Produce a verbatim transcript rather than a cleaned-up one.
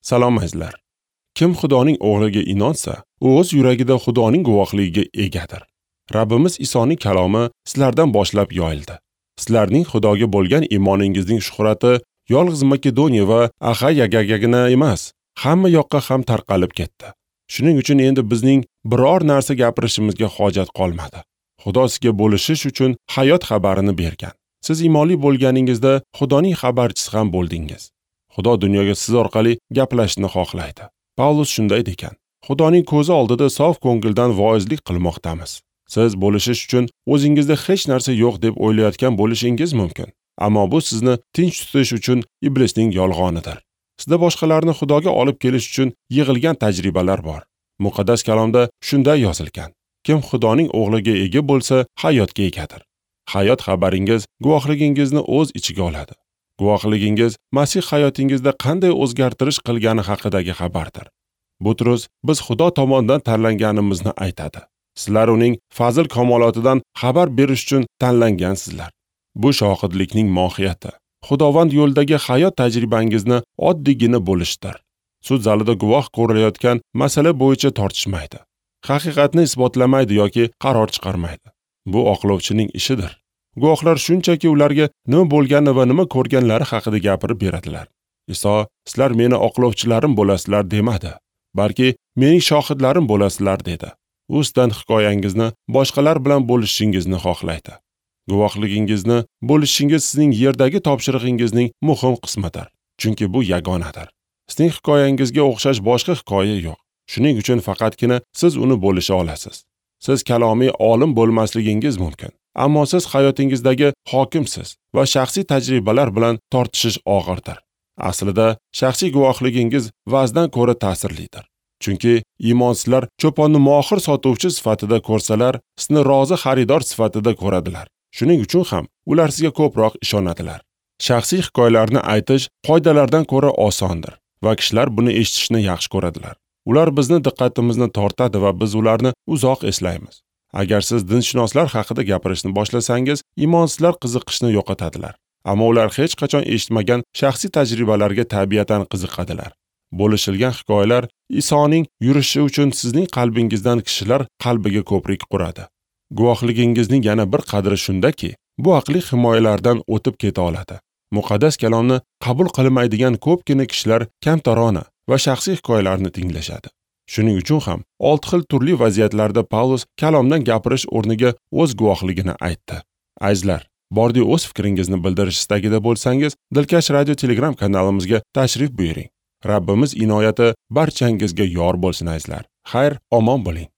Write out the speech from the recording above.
Salom azizlar. Kim Xudoning o'g'liga inonsa, u o'z yuragida Xudoning guvohligiga egadir. Rabbimiz Isoning kalomi sizlardan boshlab yoyildi. Sizlarning Xudoga bo'lgan iymoningizning shuhrati yolg'iz Makedoniya va Axayagagina emas, hamma yoqqa ham tarqalib ketdi. Shuning uchun endi bizning biror narsa gapirishimizga hojat qolmadi. Xudo sizga bo'lishish uchun hayot xabarini bergan. Siz iymonli bo'lganingizda Xudoning xabarchisi ham bo'ldingiz. Xudo dunyoga siz orqali gaplashishni xohlaydi. Pavlus shunday degan: Xudoning ko'zi oldida sof ko'ngildan voizlik qilmoqdamiz. Siz bo'lishish uchun o'zingizda hech narsa yo'q deb o'ylayotgan bo'lishingiz mumkin. Ammo bu sizni tinch tutish uchun iblisning yolg'onidir. Sizda boshqalarni Xudoga olib kelish uchun yig'ilgan tajribalar bor. Muqaddas kalomda shunday yozilgan: Kim Xudoning o'g'liga ega bo'lsa, hayotga egadir. Hayot xabaringiz guvohligingizni o'z ichiga oladi. Guvohligingiz Masih hayotingizda qanday o'zgartirish qilgani haqidagi xabardir. Butrus biz Xudo tomonidan tanlanganimizni aytadi. Sizlar uning fazil kamolotidan xabar berish uchun tanlangansizlar. Bu shohidlikning mohiyati. Xudovand yo'lidagi hayot tajribangizni oddiygina bo'lishdir. Sud zalida guvoh ko'rilayotgan masala bo'yicha tortishmaydi. Haqiqatni isbotlamaydi yoki qaror chiqarmaydi. Bu oqlovchining ishidir. Guvohlar shunchaki ularga nima bo'lgani va nima ko'rganlari haqida gapirib beradilar. Iso, sizlar meni oqlovchilarim bo'lasizlar demadi, balki mening shohidlarim bo'lasizlar dedi. U sizdan hikoyangizni boshqalar bilan bo'lishingizni xohlaydi. Guvohligingizni bo'lishingiz sizning yerdagi topshirig'ingizning muhim qismidir, chunki bu yagonadir. Sizning hikoyangizga o'xshash boshqa hikoya yo'q. Shuning uchun faqatgina siz uni bo'lisha olasiz. Siz kalomiy olim bo'lmasligingiz mumkin, ammo siz hayotingizdagi hokimsiz va shaxsiy tajribalar bilan tortishish og'irdir. Aslida shaxsiy guvohligingiz va'zdan ko'ra ta'sirlidir. Chunki iymonsizlar cho'ponni mohir sotuvchi sifatida ko'rsalar, sizni rozi xaridor sifatida ko'radilar. Shuning uchun ham ular sizga ko'proq ishonadilar. Shaxsiy hikoyalarni aytish qoidalardan ko'ra osondir va kishilar buni eshitishni yaxshi ko'radilar. Ular bizni diqqatimizni tortadi va biz ularni uzoq eslaymiz. Agar siz dinshunoslar haqida gapirishni boshlasangiz, iymonsizlar qiziqishni yo'qotadilar. Ammo ular hech qachon eshitmagan shaxsiy tajribalarga tabiatan qiziqadilar. Bo'lishilgan hikoyalar Isoning yurishi uchun sizning qalbingizdan kishilar qalbiga ko'prik quradi. Guvohligingizning yana bir qadri shundaki, bu aqliy himoyalardan o'tib keta oladi. Muqaddas kalomni qabul qilmaydigan ko'pgina kishilar kamtarona va shaxsiy hikoyalarni tinglashadi. Shuning uchun ham olti xil turli vaziyatlarda Pavlus kalomdan gapirish o'rniga o'z guvohligini aytdi. Azizlar, bordi o'z fikringizni bildirish istagida bo'lsangiz, Dilkash Radio Telegram kanalimizga tashrif buyuring. Rabbimiz inoyati barchangizga yor bo'lsin azizlar. Xayr, omon bo'ling.